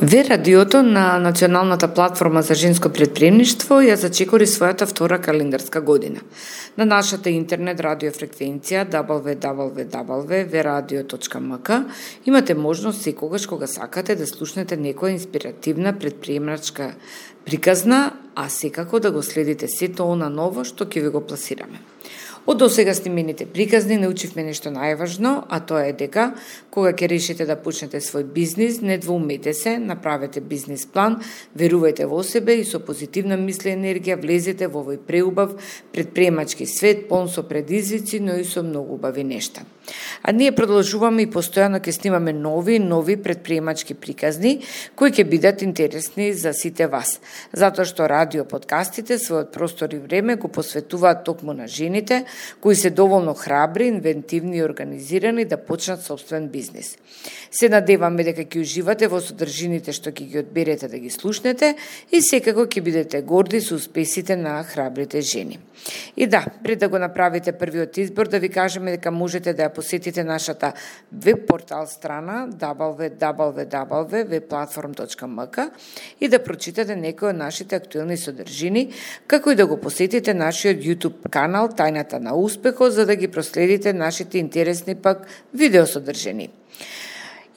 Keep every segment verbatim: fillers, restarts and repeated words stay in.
Ве радиото на Националната платформа за женско предприемништво ја зачекори својата втора календарска година. На нашата интернет радио фреквенција дабл ю дабл ю дабл ю точка ве радио точка ем ка имате можност секогаш кога сакате да слушнете некоја инспиративна предприемачка приказна, а секако да го следите сето она ново што ќе ви го пласираме. Од досега снимените приказни научивме нешто најважно, а тоа е дека кога ќе решите да почнете свој бизнис, не двоумете се, направете бизнис план, верувајте во себе и со позитивна мисли енергија влезете во овој преубав предприемачки свет, полн со предизвици, но и со многу убави нешта. А ние продолжуваме и постојано ќе снимаме нови нови предприемачки приказни кои ќе бидат интересни за сите вас, затоа што радио подкастите својот простор и време го посветуваат токму на жените кои се доволно храбри, инвентивни и организирани да почнат собствен бизнис. Се надеваме дека ќе уживате во содржините што ќе ги одберете да ги слушнете и секако ќе бидете горди со успесите на храбрите жени. И да, пред да го направите првиот избор, да ви кажеме дека можете да ја посетите нашата веб портал страна дабл ю дабл ю дабл ю точка ве платформ точка ем ка и да прочитате некои од нашите актуелни содржини, како и да го посетите нашиот YouTube канал Тајната на успехот, за да ги проследите нашите интересни пак видео содржини.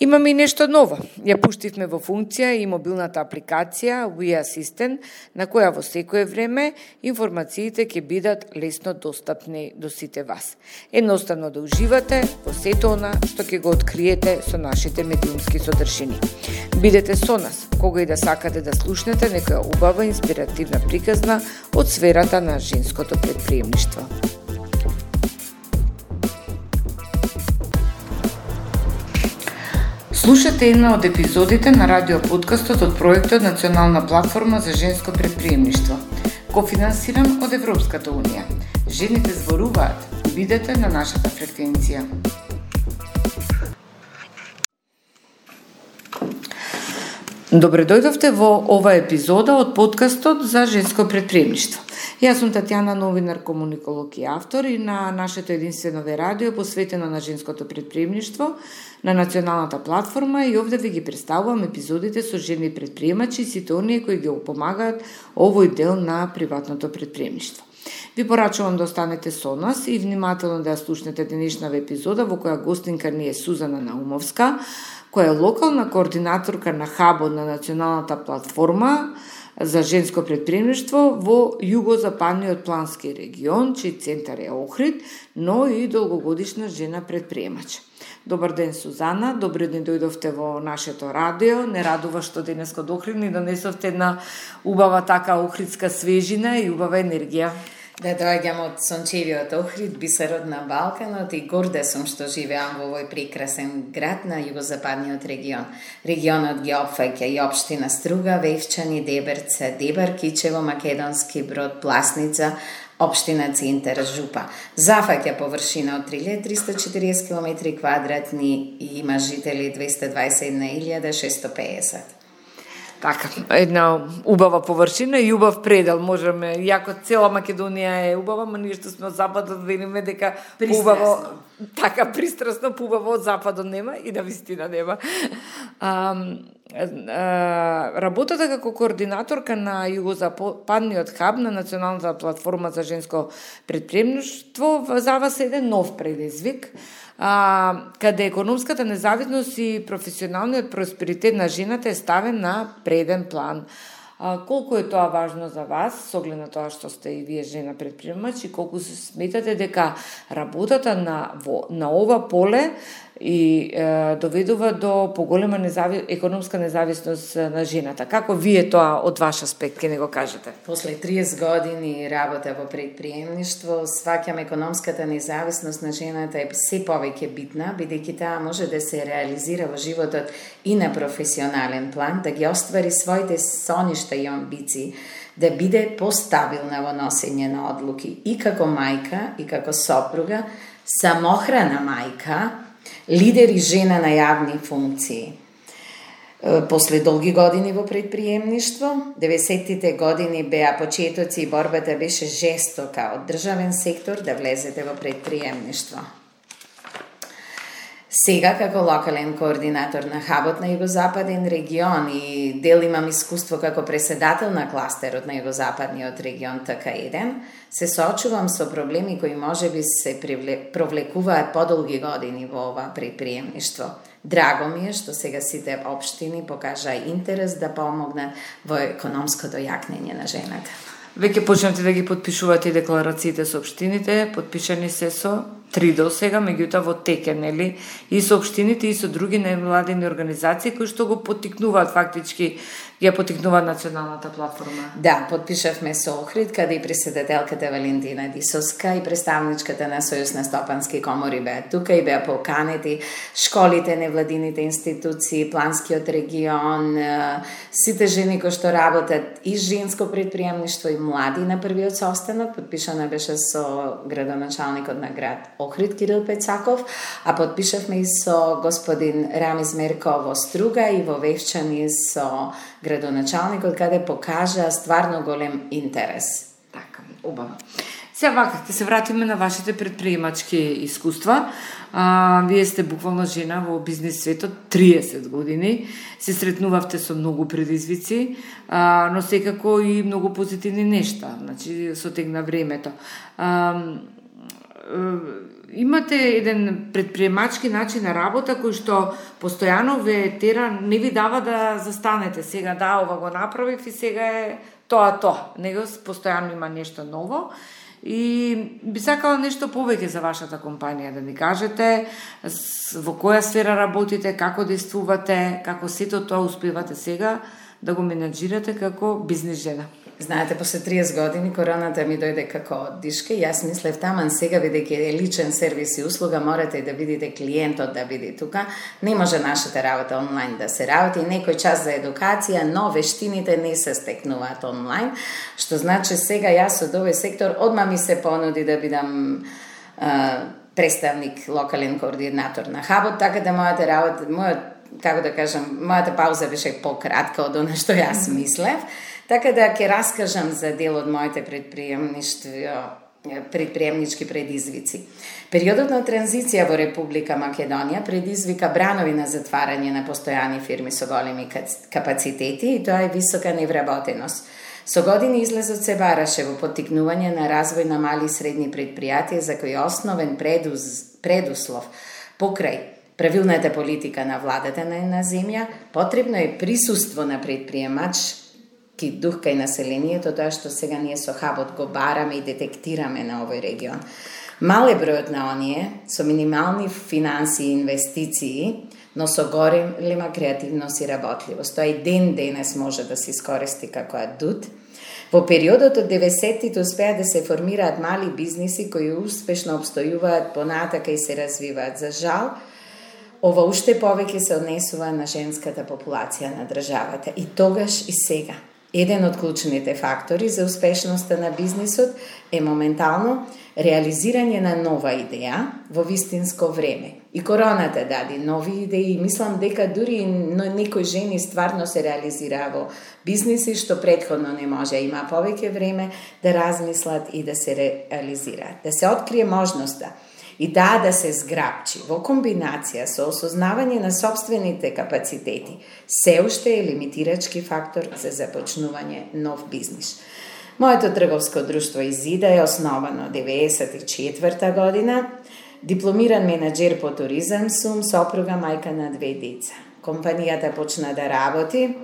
Имаме и нешто ново. Ја пуштивме во функција и мобилната апликација We Assistant, на која во секое време информациите ќе бидат лесно достапни до сите вас. Едноставно да уживате во сето она што ќе го откриете со нашите медиумски содржини. Бидете со нас, кога и да сакате да слушнете некоја убава инспиративна приказна од сферата на женското предприемништво. Слушате една од епизодите на радио подкастот од проектот Национална платформа за женско предприемништво, кофинансиран од Европската унија. Жените зборуваат. Бидете на нашата фреквенција. Добре дојдовте во ова епизода од подкастот за женско предприемништво. Јас сум Татјана, новинар, комуниколог и автор, и на нашето единствено ве радио посветено на женското предприемништво на Националната платформа, и овде ви ги представувам епизодите со жени предприемачи и сите оние кои ги помагаат овој дел на приватното предприемништво. Ви порачувам да останете со нас и внимателно да ја слушнете денешната епизода во која гостинка ни е Сузана Наумовска, која е локална координаторка на хабот на Националната платформа за женско предприемништво во југозападниот плански регион, чиј центар е Охрид, но и долгогодишна жена предприемач. Добар ден, Сузана, добре ден дојдовте во нашето радио. Не радува што денес од Охрид ни донесовте една убава така охридска свежина и убава енергија. Да доаѓам од сончевиот Охрид, бисерот на Балканот, и горда сум што живеам во овој прекрасен град на југозападниот регион. Регионот ги опфаќа и општина Струга, Вевчани, Деберце, Дебар, Кичево, Македонски Брод, Пласница, општина Центар, Жупа. Зафаќа површина од три илјади триста и четириесет километри квадратни и има жители двеста дваесет и една илјада шестоста пеесет. Така, една убава површина и убав предел, можеме, иако цела Македонија е убава, но ние што сме од западот велиме дека убаво, така пристрасно, убаво од западот нема и на вистина нема. А, а, работата како координаторка на југозападниот хаб на Националната платформа за женско предприемништво за вас е еден нов предизвик, а, каде економската независност и професионалниот просперитет на жената е ставен на преден план. А, колку е тоа важно за вас, со оглед на тоа што сте и вие жена предприемач, и колку се сметате дека работата на, во, на ова поле и е, доведува до поголема незави... економска независност на жената. Како вие тоа од ваш аспект ке не го кажете? После триесет години работа во предприемништво, сваќам економската независност на жената е се повеќе битна, бидејќи таа може да се реализира во животот и на професионален план, да ги оствари своите соништа и амбиции, да биде постабилна во носење на одлуки и како мајка, и како сопруга, самохрана мајка, лидер и жена на јавни функции. После долги години во предприемништво, деветдесеттите години беа почетоци и борбата беше жестока од државен сектор да влезете во предприемништво. Сега, како локален координатор на хабот на Југозападен регион и дел имам искуство како преседател на кластерот на Југозападниот регион Т К еден, се соочувам со проблеми кои можеби се провлекуваат подолги години во ова предприемништво. Драго ми е што сега сите општини покажаа интерес да помогнат во економското јакнење на жената. Веќе почнете да ги подпишувате декларациите со општините, подпишани се со три до сега, меѓутоа во теке, нели, и со општините и со други невладини организации кои што го поттикнуваат фактички, ја поттикнуваат националната платформа. Да, подпишавме со Охрид, каде и преседателката Валентина Дисовска и представничката на Сојуз на стопански комори беа тука и беа поканети школите, невладините институции, планскиот регион, сите жени кои што работат и женско предприемништво и млади на првиот состанок. Подпишана беше со градоначалникот на град Охрид Кирил Пецаков, а подпишавме и со господин Рамиз Мерко во Струга и во Вевчани со градоначалникот, каде покажа стварно голем интерес. Така, убаво. Сега вака, ќе се вратиме на вашите предприемачки искуства. А, вие сте буквално жена во бизнес светот триесет години. Се сретнувавте со многу предизвици, а, но секако и многу позитивни нешта. Значи, сотегна времето. А, имате еден предприемачки начин на работа кој што постојано ве тера, не ви дава да застанете. Сега да, ова го направив и сега е тоа тоа. Него постојано има нешто ново. И би сакала нешто повеќе за вашата компанија, да ми кажете во која сфера работите, како действувате, како сето тоа успевате сега да го менаџирате како бизнес жена. Знаете, после триесет години короната ми дојде како оддишка и јас мислев таман сега, бидејќи е личен сервис и услуга, морате и да видите клиентот да биде тука. Не може нашата работа онлайн да се работи, некој час за едукација, но вештините не се стекнуваат онлайн, што значи сега јас од овој сектор одма ми се понуди да бидам а, представник, локален координатор на хабот, така да мојата работа, мојот, како да кажам, мојата пауза беше пократка од она што јас мислев. Така да ќе раскажам за дел од моите предприемништво, предприемнички предизвици. Периодот на транзиција во Република Македонија предизвика бранови на затварање на постојани фирми со големи капацитети и тоа е висока невработеност. Со години излезот се бараше во поттикнување на развој на мали и средни предпријатија за кои основен предуз, предуслов покрај правилната политика на владата на една земја, потребно е присуство на предприемач дух кај населението, тоа што сега ние со хабот го бараме и детектираме на овој регион. Мал е бројот на оние со минимални финанси и инвестиции, но со голема креативност и работливост. Тоа и ден денес може да се искористи како адут. Во периодот од деветдесеттите успеа да се формираат мали бизниси кои успешно обстојуваат понатака и се развиваат. За жал, ова уште повеќе се однесува на женската популација на државата. И тогаш и сега. Еден од клучните фактори за успешноста на бизнисот е моментално реализирање на нова идеја во вистинско време. И короната даде нови идеи и мислам дека дури некои жени стварно се реализираа во бизниси што претходно не може. Има повеќе време да размислат и да се реализираат. Да се открие можноста и таа да се зграбчи во комбинација со осознавање на сопствените капацитети, се уште е лимитирачки фактор за започнување нов бизнис. Моето трговско друштво Изида е основано деветдесет и четврта година. Дипломиран менаџер по туризам сум, сопруга, мајка на две деца. Компанијата почна да работи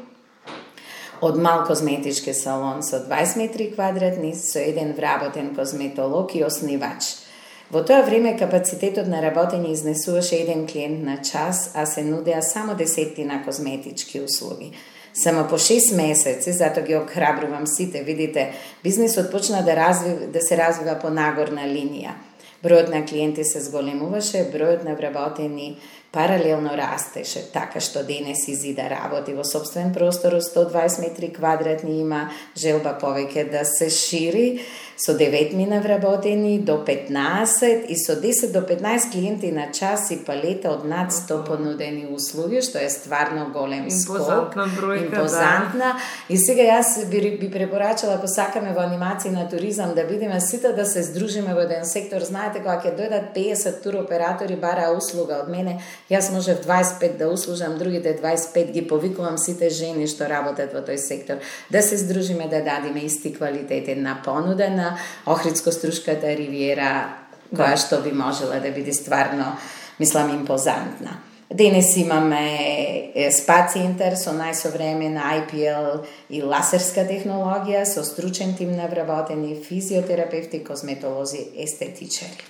од мал козметички салон со дваесет метри квадратни, со еден вработен козметолог и оснивач. Во тоа време капацитетот на работење изнесуваше еден клиент на час, а се нудеа само десеттина козметички услуги. Само по шест месеци, затоа ги охрабрувам сите, видите, бизнисот почна да, разви, да се развива по нагорна линија. Бројот на клиенти се зголемуваше, бројот на вработени паралелно растеше, така што денес Изида работи во собствен простор од сто дваесет метри квадратни, има желба повеќе да се шири, со деветмина вработени до петнаесет и со десет до петнаесет клиенти на час и палета од над сто понудени услуги, што е стварно голем скок. Импозантна бројка, импозантна. Да. И сега јас би, би препорачала, ако сакаме во анимација на туризам да бидеме сите да се здружиме во еден сектор. Знаете, кога ќе дојдат пеесет туроператори бара услуга од мене, Јас можев дваесет и пет да услужам, другите дваесет и пет ги повикувам сите жени што работат во тој сектор, да се здружиме, да дадиме исти квалитет на понуда на Охридско-Струшката ривиера, која да. Што би можела да биде стварно, мислам, импозантна. Денес имаме спа центар со најсовремена ай пи ел и ласерска технологија, со стручен тим на вработени физиотерапевти, косметолози, естетичари.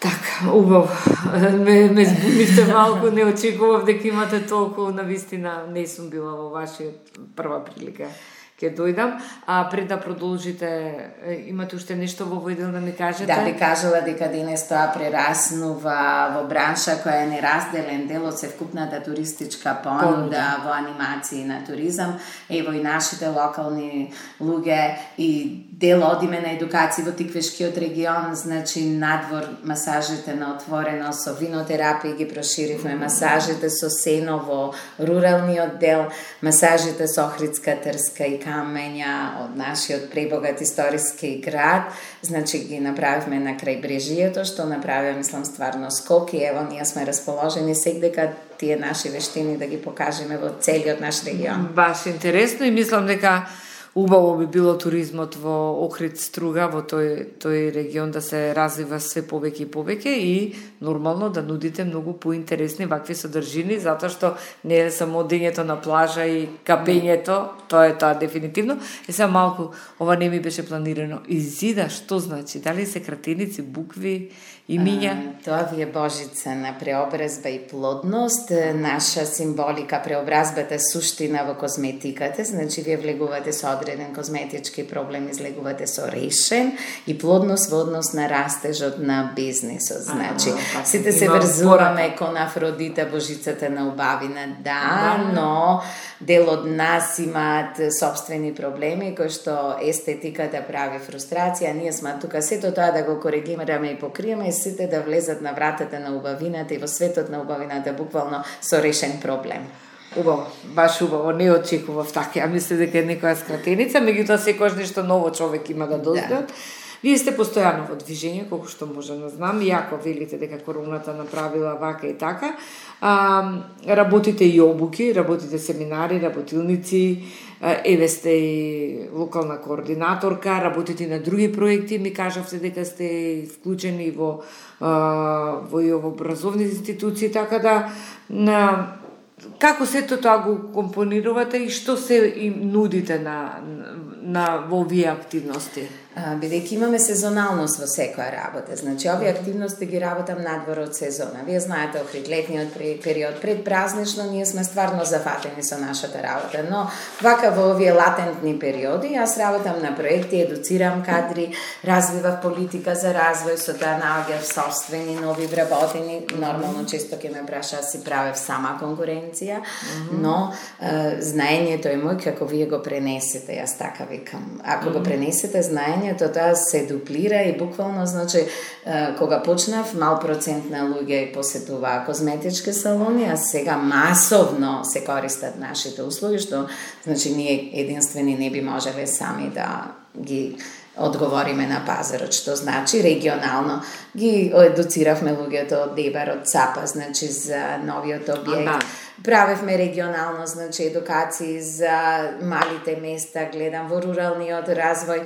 Така, убаво. Ме, ме збунивте малку, не очекував дека имате толку, навистина не сум била во вашиот прва прилика. Ке дојдам, а пред да продолжите, имате уште нешто во овој дел да ми кажете? Да, би кажала дека денес тоа прераснува во бранша која е неразделен дел од севкупната туристичка понуда во анимации на туризам. Ево и нашите локални луѓе и дел одиме на едукација во Тиквешкиот регион, значи надвор масажите на отворено со винотерапија ги проширивме, масажите со сено во руралниот дел, масажите со Охридска, Трска и камења од нашиот пребогат историски град, значи ги направивме на крајбрежието, што направи, мислам, стварно скок и ево ние сме расположени секдека тие наши вештини да ги покажеме во целиот наш регион. Баш интересно и мислам дека убаво би било туризмот во Охрид Струга, во тој, тој регион да се развива све повеќе и повеќе и нормално да нудите многу поинтересни вакви содржини, затоа што не е само одењето на плажа и капењето, тоа е тоа дефинитивно. И сега малку, ова не ми беше планирано. Изида, што значи? Дали се кратеници, букви, имиња? А, тоа ви е божица на преобразба и плодност, наша символика, преобразбата суштина во козметиката, значи вие влегувате со одреден козметички проблем, излегувате со решен и плодност во однос на растежот на бизнисот. Значи, а, сите се врзуваме кон Афродита, божицата на убавина, да, но дел од нас имаат собствени проблеми кои што естетиката прави фрустрација, ние сме тука сето тоа да го коригираме и покриеме и сите да влезат на вратата на убавината и во светот на убавината буквално со решен проблем. Убаво, баш убаво, не очекував така. Ја мислев дека е некоја скратеница, меѓутоа секогаш нешто ново човек има да дознат. Да. Вие сте постојано во движење, колку што можам да знам, иако велите дека короната направила вака и така. А, работите и обуки, работите семинари, работилници, еве сте и локална координаторка, работите на други проекти, ми кажавте дека сте вклучени во во и во образовни институции, така да на како сето тоа го компонирувате и што се им нудите на, на во овие активности? Бидејќи имаме сезоналност во секоја работа, значи овие активности ги работам надвор од сезона. Вие знаете, Охрид летниот период пред празнично ние сме стварно зафатени со нашата работа, но вака во овие латентни периоди јас работам на проекти, едуцирам кадри, развивав политика за развој, со тоа наоѓав собствени нови вработени, нормално често ќе ме праша си правев сама конкуренција, mm-hmm. но е, знаењето е мој како вие го пренесете, јас така викам. Ако mm-hmm. го пренесете знаење, тоа се дуплира и буквално, значи, кога почнав, мал процент на луѓе посетуваа козметички салони, а сега масовно се користат нашите услуги, што, значи, ние единствени не би можеле сами да ги одговориме на пазарот, што значи регионално ги едуциравме луѓето од Дебар, од Цапа, значи за новиот објект. Правевме регионално, значи едукации за малите места, гледам во руралниот развој.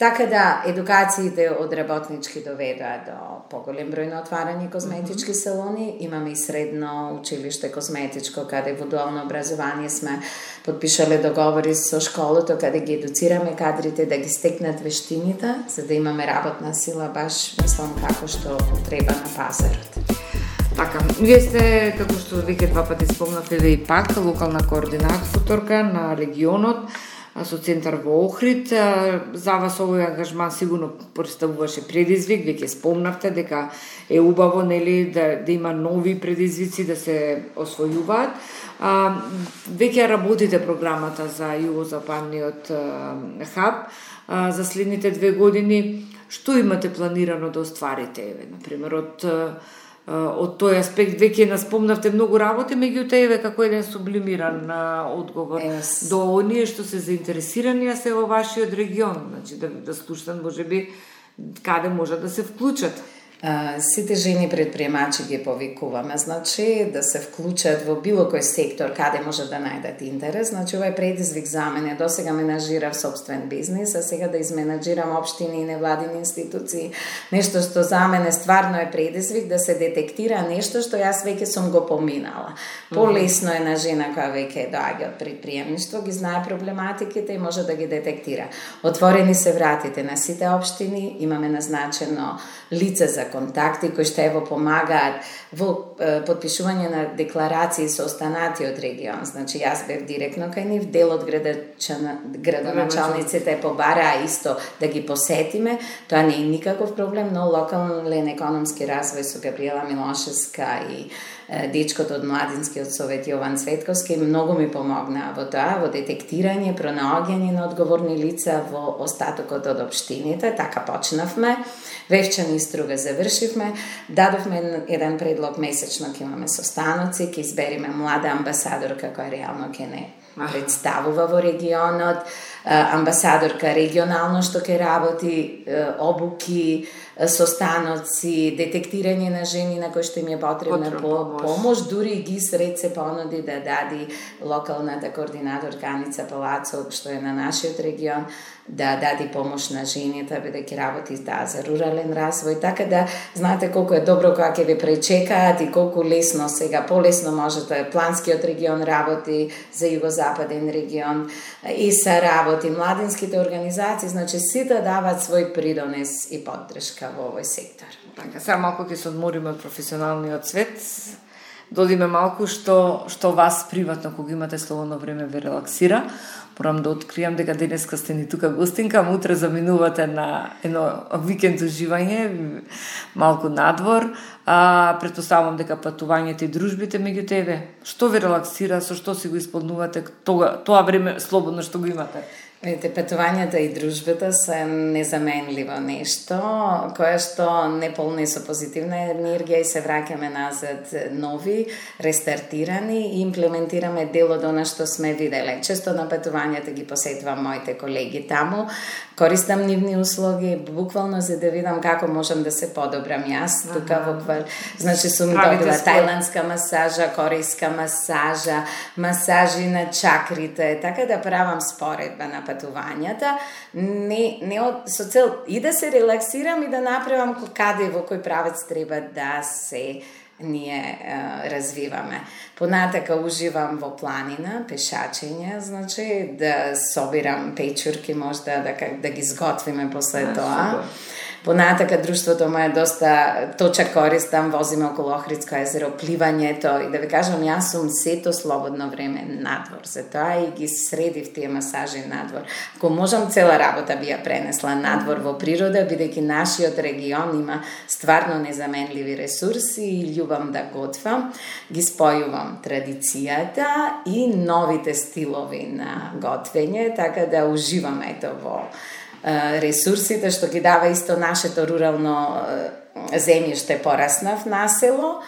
Така да, едукациите од работнички доведоа до поголем број на отварани козметички салони. Имаме и средно училиште козметичко, каде во дуално образование сме подпишале договори со школото, каде ги едуцираме кадрите да ги стекнат вештините, за да имаме работна сила, баш мислам како што треба на пазарот. Така, вие сте, како што веќе два пати спомнавте, и пак локална координаторка на регионот, со центар во Охрид. За вас овој ангажман сигурно представуваше предизвик, веќе спомнавте дека е убаво, нели, да, да има нови предизвици да се освојуваат. А, веќе работите програмата за југозападниот хаб а, за следните две години. Што имате планирано да остварите, еве, например, од од тој аспект веќе наспомнавте многу работи, меѓутоа еве како еден сублимиран а, одговор yes. до оние што се заинтересирани а се во вашиот регион, значи да да слушнат можеби каде може да се вклучат. Сите жени предприемачи ги повикуваме, значи да се вклучат во било кој сектор каде може да најдат интерес. Значи ова е предизвик за мене. Досега менаџирав собствен бизнис, а сега да изменаџирам општини и невладини институции. Нешто што за мене стварно е предизвик да се детектира нешто што јас веќе сум го поминала. Полесно е на жена која веќе доаѓа од предприемништво, ги знае проблематиките и може да ги детектира. Отворени се вратите на сите општини, имаме назначено лице за контакти кои што ево помагаат во е, потпишување на декларации со останатиот регион. Значи јас бев директно кај нив, дел од градоначалниците побараа исто да ги посетиме. Тоа не е никаков проблем, но локален економски развој со Габриела Милошевска и дечкото од Младинскиот совет Јован Цветковски многу ми помогнаа во тоа, во детектирање, пронаоѓање на одговорни лица во остатокот од општините. Така почнавме. Вевчани и Струга завршивме. Дадовме еден предлог месечно, ќе имаме состаноци, ќе избериме млада амбасадорка која реално ќе не представува во регионот, амбасадорка регионално што ќе работи, обуки, состаноци, детектирање на жени на кои што им е потребна по, помош, дури ги сред се понуди да дади локалната координаторка Аница Палацов, што е на нашиот регион, да дади помош на жените, бидејќи работи да, за рурален развој, така да знаете колку е добро кога ќе ви пречекаат и колку лесно сега, полесно можете, планскиот регион работи за југозападен регион и са работи младинските организации, значи сите дават свој придонес и поддршка во овој сектор. Така, сега малку ќе се одмориме од професионалниот свет, додиме малку што што вас приватно кога имате слободно време ве релаксира. Морам да откријам дека денеска сте ни тука гостинка, а утре заминувате на едно викенд уживање, малку надвор. А, претпоставувам дека патувањето и дружбите меѓу тебе. Што ве релаксира, со што си го исполнувате тоа, тоа време слободно што го имате? Видите, патувањата и дружбата се незаменливо нешто, кое што не полни со позитивна енергија и се враќаме назад нови, рестартирани и имплементираме дел од она што сме виделе. Често на патувањата ги посетувам моите колеги таму, користам нивни услуги, буквално за да видам како можам да се подобрам јас. Ага. Тука во квар... Значи сум добила тајландска масажа, корејска масажа, масажи на чакрите, така да правам споредба на патувањата, не, не од, со цел и да се релаксирам и да направам каде во кој правец треба да се ние е, развиваме. Понатака уживам во планина, пешачење, значи да собирам печурки, можда да, да ги сготвиме после а, тоа. Супер. Понатака друштвото ме е доста точак користам, возиме околу Охридско езеро, пливањето и да ви кажам, јас сум сето слободно време надвор, за тоа и ги средив тие масажи надвор. Ако можам, цела работа би ја пренесла надвор во природа, бидејќи нашиот регион има стварно незаменливи ресурси и љубам да готвам, ги спојувам традицијата и новите стилови на готвење, така да уживам ето во ресурсите што ги дава исто нашето рурално земјиште. Пораснав на село,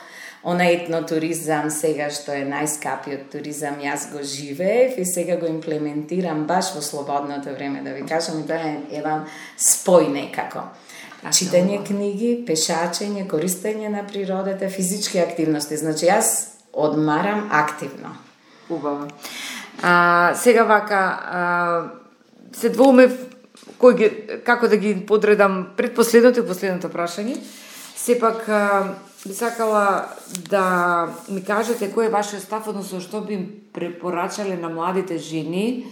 она етнотуризам сега што е најскапиот туризам, јас го живеев и сега го имплементирам баш во слободното време, да ви кажам, и тоа е еден спој некако. Читање книги, пешачење, користење на природата, физички активности. Значи јас одмарам активно. Убаво. А, сега вака а, се двоумев кој ги, како да ги подредам предпоследното и последното прашање. Сепак би сакала да ми кажете кој е вашиот став, односно што би им препорачале на младите жени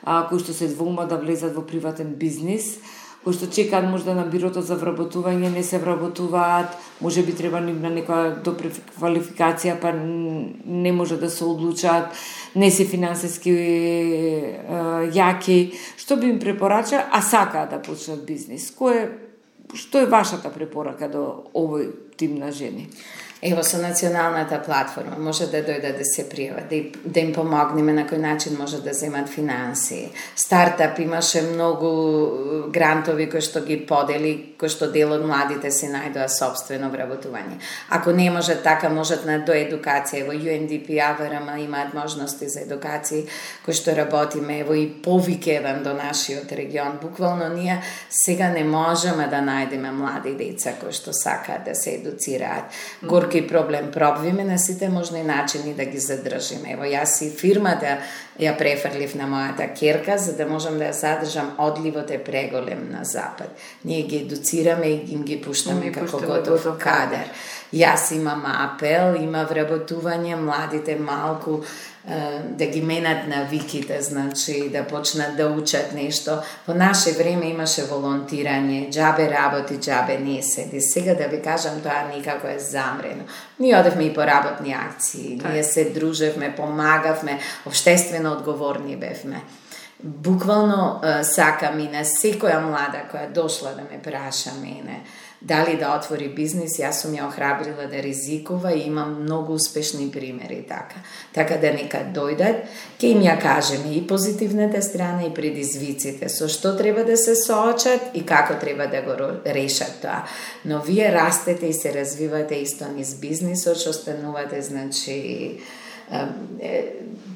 а, кои што се двоумат да влезат во приватен бизнис, кои што чекаат можда на бирото за вработување, не се вработуваат, може би треба ним на некоја допреквалификација, па не може да се одлучат, не се финансиски е, јаки. Што би им препорача, а сакаат да почнат бизнис? Кој е, што е вашата препорака до овој тим на жени? Ево, со националната платформа може да дојдат да се пријават, да, да им помогнеме на кој начин може да земат финанси. Стартап имаше многу грантови кои што ги подели, кои што дел од младите се најдоа собствено вработување. Ако не може така, можат на доедукација. Ево, ю ен ди пи, а вэ ар ем имаат можности за едукација кои што работиме. Ево и повик еден до нашиот регион. Буквално ние сега не можеме да најдеме млади деца кои што сакаат да се едуцираат. Горки проблем пробвиме на сите можни начини да ги задржиме. Ево, јас и фирмата ја префрлив на мојата керка, за да можам да ја задржам, одливот е преголем на запад. Ние ги едуцираме и им ги пуштаме како готов кадар. Јас имам апел, има вработување, младите малку да ги менат навиките, значи да почнат да учат нешто. Во наше време имаше волонтирање, џабе работи, џабе не седи. Сега да ви кажам, тоа никако е замрено. Ние одевме и по работни акции, ние се дружевме, помагавме, општествено одговорни бевме. Буквално сакам и на секоја млада која дошла да ме праша мене дали да отвори бизнис, јас сум ја охрабрила да ризикува и имам многу успешни примери така. Така да нека дојдат, ќе им ја кажеме и позитивната страна и предизвиците, со што треба да се соочат и како треба да го решат тоа. Но вие растете и се развивате исто низ бизнисот, што станувате, значи,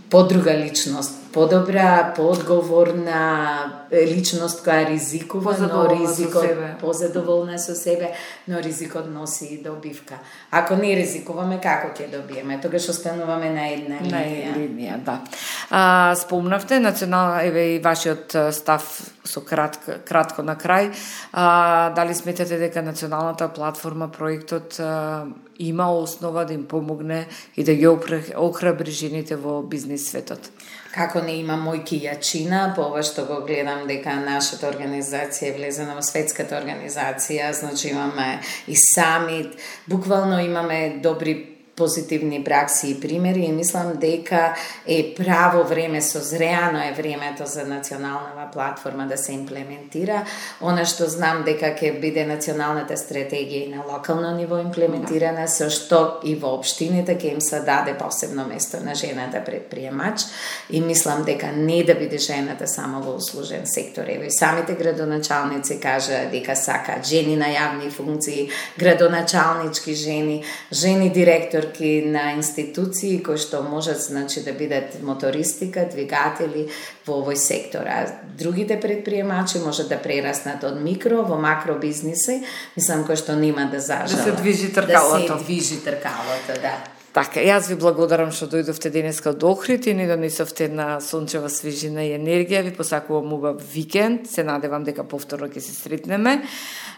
подруга личност, подобра, поодговорна личност која ризикува, но ризикот позадоволна со себе, но ризикот носи и добивка. Ако не ризикуваме, како ќе добиеме? Тогаш остануваме на една линија. На една линија, да. А, спомнавте национална, еве и вашиот став со кратко, кратко на крај. А, дали сметате дека националната платформа, проектот а, има основа да им помогне и да ги охрабри жените во бизнис светот? Како не има мојки јачина, по ова што го гледам дека нашата организација е влезена во светската организација, значи имаме и самит, буквално имаме добри позитивни пракси и примери и мислам дека е право време, созреано е времето за национална платформа да се имплементира. Она што знам дека ќе биде националната стратегија и на локално ниво имплементирана, со што и во општините ќе им се даде посебно место на жената предприемач и мислам дека не да биде жената само во услужен сектор. Ево и самите градоначалници кажа дека сакаат жени на јавни функции, градоначалнички жени, жени директор на институции кои што можат, значи, да бидат мотористика, двигатели во овој сектор. А другите предприемачи можат да прераснат од микро во макро бизниси, мислам, кои што нема да зажала. Да се движи тркалото. Да се движи тркалото, да. Така, јас ви благодарам што дојдовте денеска од Охрид и ни донесовте на сончева свежина и енергија. Ви посакувам убав викенд. Се надевам дека повторно ќе се сретнеме.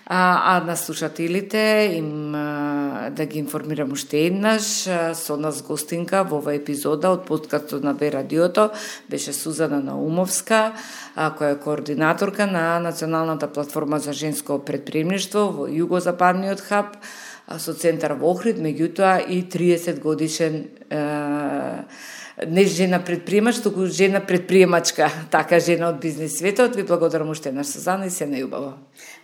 А, а на слушателите им а, да ги информирам уште еднаш, а, со нас гостинка во оваа епизода од подкастот на Б радиото беше Сузана Наумовска, а, која е координаторка на Националната платформа за женско предприемништво во Југозападниот хаб, со центар во Охрид, меѓутоа и триесет годишен е, не жена предприемач, туку жена предприемачка, така жена од бизнис светот. Ви благодарам уште еднаш, Сузана, и се најубаво.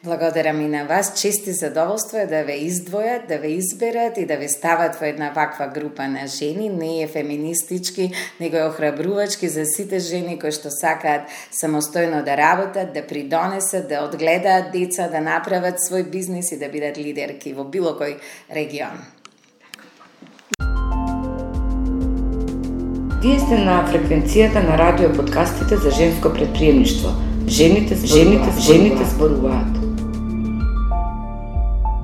Благодарам и на вас. Чести задоволство е да ве издвојат, да ве изберат и да ве стават во една ваква група на жени. Не е феминистички, него е охрабрувачки за сите жени кои што сакаат самостојно да работат, да придонесат, да одгледаат деца, да направат свој бизнис и да бидат лидерки во било кој регион. Вие сте на фреквенцијата на радио подкастите за женско предприемништво. Жените, жените, жените зборуваат.